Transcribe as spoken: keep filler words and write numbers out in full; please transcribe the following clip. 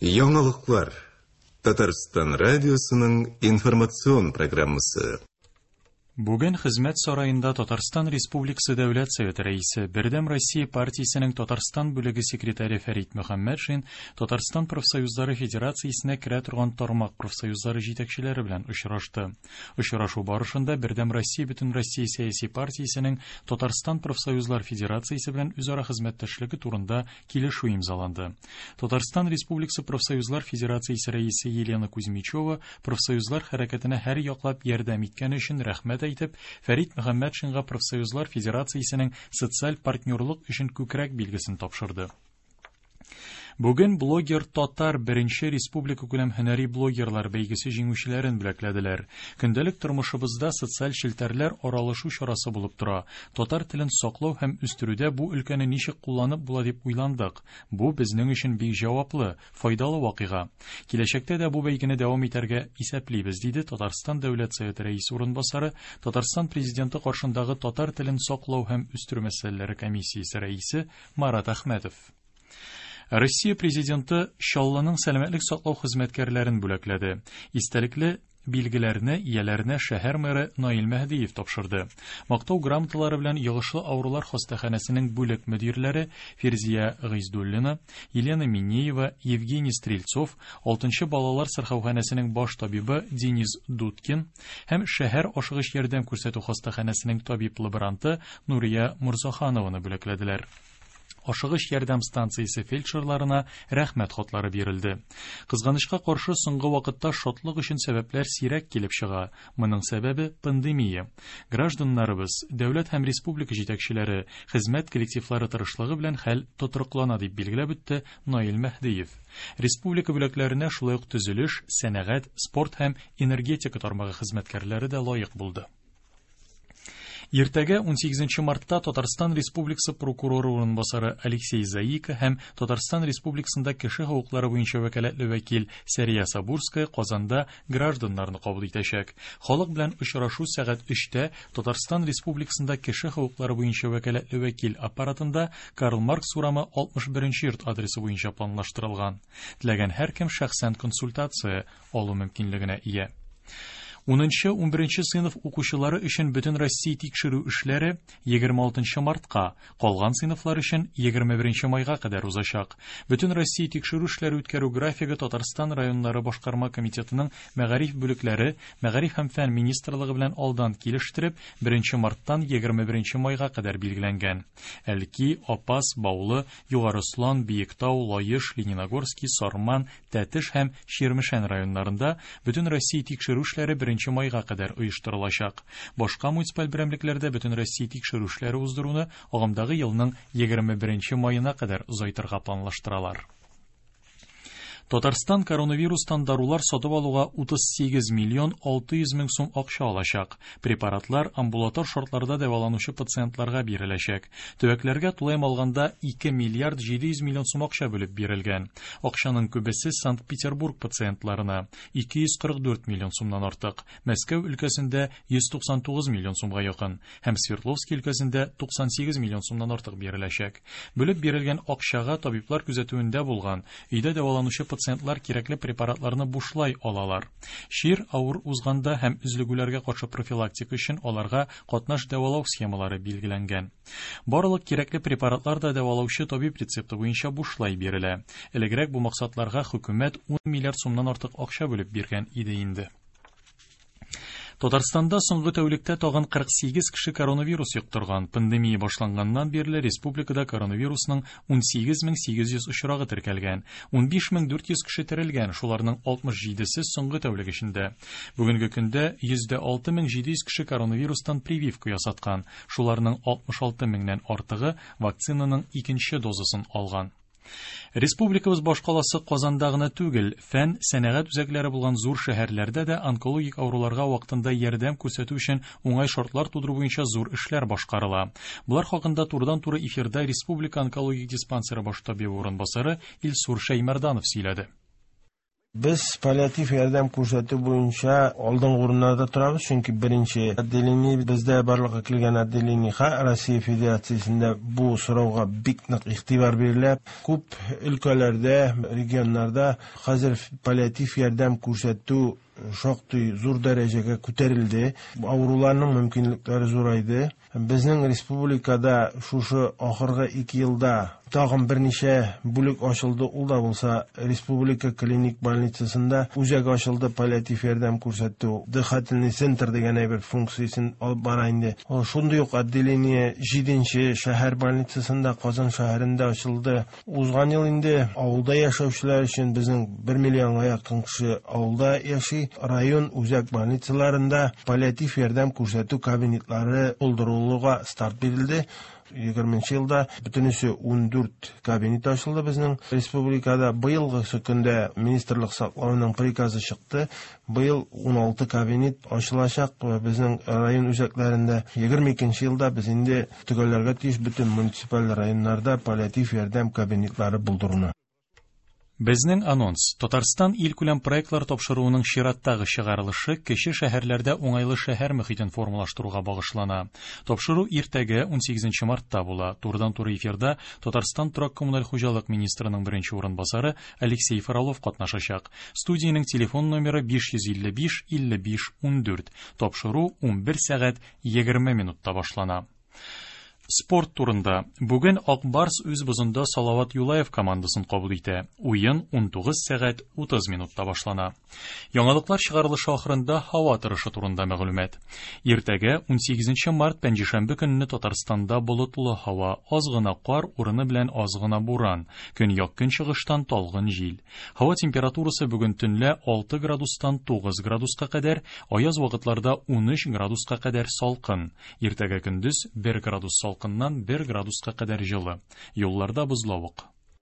Яңалыклар. Татарстан радиосының информацион программасы. Бүген Хезмәт сараенда Татарстан Республикасы Дәүләт Советы рәисе, Бердәм Россия партиясенең Татарстан бүлеге секретаре Фәрит Мөхәммәтшин Татарстан профсоюзлары федерациясенә керә торган тармак профсоюзлары җитәкчеләре белән очрашты. Очрашу барышында Бердәм Россия Бөтенроссия сәяси партиясенең Татарстан профсоюзлар федерациясе белән үзара хезмәттәшлеге турында килешү имзаланды. Татарстан Республикасы профсоюзлар федерациясе рәисе Елена Кузьмичева профсоюзлар хәрәкәтенә һәр яклап ярдәм иткәне өчен рәхмәт әйтеп, Фәрит Мөхәммәтшинга профсоюзлар федерациясенең социаль партнерлык өчен күкрәк билгесен тапшырды. Бүген блогер татар беренче республика күләм һөнәри блогерлар бәйгесе җиңүчеләрен бүләкләделәр. Көндәлек тормышыбызда социаль челтәрләр аралашу чарасы булып тора. Татар телен саклау һәм үстерүдә бу өлкәне ничек кулланып була дип уйландык. Бу безнең өчен бик җаваплы, файдалы вакыйга. Киләчәктә дә бу бәйгене дәвам итәргә исәплибез, диде Татарстан Дәүләт Советы рәисе урынбасары, Татарстан Президенты каршындагы татар телен саклау һәм үстерү мәсьәләләре комиссиясе рәисе Марат Әхмәтов. Россия президенты Чаллының сәламәтлек саклау хезмәткәрләрен бүләкләде. Истәлекле билгеләрне ияләренә шәһәр мэры Наил Мәһдиев тапшырды. Мактау грамоталары белән йогышлы авырулар хастаханәсенең бүлек мөдирләре Фирзия Гыйздуллина, Елена Минеева, Евгений Стрельцов, алтынчы балалар сырхауханәсенең баш табибы Денис Дудкин һәм шәһәр ашыгыч ярдәм күрсәтү хастаханәсенең табиб-лаборанты Нурия Мурзаханованы бүләкләделәр. Ашыгыч ярдәм станциясе фельдшерларына рәхмәт хатлары бирелде. Кызганычка каршы, соңгы вакытта шатлык өчен сәбәпләр сирәк килеп чыга. Моның сәбәбе пандемия. Гражданнарыбыз, дәүләт һәм республика җитәкчеләре, хезмәт коллективлары тырышлыгы белән хәл тотрыклана, дип билгеләп үтте Наил Мәһдиев. Республика бүләкләренә шулай ук төзелеш, сәнәгать, спорт һәм энергетика тармагы хезмәткәрләре дә лаек булды. Иртәгә унсигезенче мартта Татарстан Республикасы прокуроры урынбасары Алексей Заика һәм Татарстан Республикасында кеше хокуклары буенча вәкаләтле вәкил Сәрия Сабурская Казанда гражданнарны кабул итәчәк. Халык белән очрашу сәгать өчтә Татарстан Республикасында кеше хокуклары буенча вәкаләтле вәкил аппаратында Карл Маркс урамы алтмыш беренче йорт адресы буенча планлаштырылган. Теләгән һәркем шәхсән консультация алу мөмкинлегенә ия. Унынчы, унберенче сыйныф укучылары өчен бөтен Россия тикшерү эшләре егерме алтынчы мартка, калган сыйныфлар өчен егерме беренче майга кадәр узачак. Бөтен Россия тикшерү эшләре үткәрү графигы Татарстан районнары башкарма комитетының мәгариф бүлекләре, мәгариф һәм фән министрлыгы белән алдан килештереп, беренче марттан егерме беренче майга кадәр билгеләнгән. Әлки, Апас, Баулы, Югары Ослан, Биектау, Лаеш, Лениногорский, Сарман, Тәтеш һәм Чирмешән районнарында бөтен Россия тикшерү эшләре беренче майга кадәр оештырылачак. Башка муниципаль берәмлекләрдә бөтен Россия тикшерү эшләре уздыруны агымдагы елның егерме беренче маена кадәр озайтырга планлаштыралар. Татарстан коронавирустан дарулар сатып алуга утыз сигез миллион алты йөз мең сум акча алачак. Препаратлар амбулатор шартларда дәваланучы пациентларга биреләчәк. Төбәкләргә тулаем алганда ике миллиард җиде йөз миллион сум акча бүлеп бирелгән. Акчаның күбесе Санкт-Петербург пациентларына ике йөз кырык дүрт миллион сумнан артык, Мәскәү өлкәсендә йөз туксан тугыз миллион сумга якын һәм Свердловский өлкәсендә туксан сигез миллион сумнан артык биреләчәк. Бүлеп бирелгән акчага табиблар күзәтүендә булган, өйдә дәваланучы пациентлар кирәкле препаратларны бушлай алалар. Чир авыр узганда һәм өзлегүләргә каршы профилактика өчен аларга катнаш дәвалау схемалары билгеләнгән. Барлык кирәкле препаратлар да дәвалаучы табиб рецепты буенча бушлай бирелә. Элегрәк бу максатларга хөкүмәт ун миллиард сумнан артык акча бүлеп биргән иде инде. Татарстанда соңгы тәүлектә тагын кырык сигез кеше коронавирус йоктырган. Пандемия башланганнан бирле республикада коронавирусның ун сигез мең сигез йөз очрагы теркәлгән. Ун биш мең дүрт йөз кеше терелгән, шуларның алтмыш җидесе соңгы тәүлек эчендә. Бүгенге көндә йөздә алты мең җиде йөз кеше коронавирустан прививка ясаткан. Шуларның алтмыш алты меңнән артыгы вакцинаның икенче дозасын алган. Республикабыз башкаласы Казанда гына түгел, фән, сәнәгать үзәкләре булган зур шәһәрләрдә дә онкологик авыруларга вакытында ярдәм күрсәтү өчен уңай шартлар тудыру буенча зур эшләр башкарыла. Булар хакында турыдан-туры эфирда Республика онкологик диспансеры баш табибы урынбасары Илсур Шәймәрданов сөйләде. Без паллиатив ярдәм күрсәтү буенча алдынгы урыннарда торабыз, чөнки беренче отделение бездә барлыкка килгән отделение Россия Федерациясендә бу сорауга бик нык игътибар бирелә. Күп өлкәләрдә, регионнарда хәзер паллиатив ярдәм күрсәтү шактый зур дәрәҗәгә күтәрелде. Авыруларның мөмкинлекләре зурайды. Безнең республикада шушы ахыргы ике елда тагын берничә бүлек ачылды. Ул да булса республика клиник больницасында үзәк ачылды, паллиатив ярдәм күрсәтү, дыхательный центр дигән әйбер функциясен алып бара инде. Шундый ук отделение җиденче шәһәр больницасында Казан шәһәрендә ачылды. Узган ел инде авылда яшәүчеләр өчен безнең бер миллионга якын кеше авылда яши. Район үзәк больницаларында паллиатив ярдәм күрсәтү кабинетлары булдырылуга старт бирелде. Егерменче елда бөтенесе ун дүрт кабинет ачылды безнең республикада. Быелгы көндә министрлык саклауның приказы чыкты. Быел ун алты кабинет ачылачак безнең район үзәкләрендә. Егерме икенче елда без инде төгәлләргә тиеш бөтен муниципаль районнарда паллиатив ярдәм кабинетлары булдыруны. Безнең анонс. Татарстан илкүләм проектлар тапшыруының чираттагы чыгарылышы кече шәһәрләрдә уңайлы шәһәр мөхитен формалаштыруга багышлана. Тапшыру иртәгә ун сигезенче мартта була. Турыдан-туры эфирда Татарстан торак коммуналь хуҗалык министрының беренче урынбасары Алексей Фролов катнашачак. Студиянең телефон номеры биш йөз илле биш илле биш ун дүрт. Тапшыру ун бер сәгать егерме минутта башлана. Спорт турында. Бүген Ак Барс үз бозында Салават Юлаев командасын кабул итә. Уен ун тугыз сәгать утыз минутта башлана. Яңалыклар чыгарылышы ахырында һава торышы турында мәгълүмат. Иртәгә ун сигезенче март пәнҗешәмбе көнне Татарстанда болытлы һава, аз гына кар, урыны белән аз гына буран, көньяк көнчыгыштан талгын җил. Һава температурасы бүген төнлә алты градустан тугыз градуска кадәр, аяз вакытларда ун өч градуска кадәр салкын. Иртәгә көндез бер градус салкын. Бер градуска кадәр җылы. Юлларда бозлавык.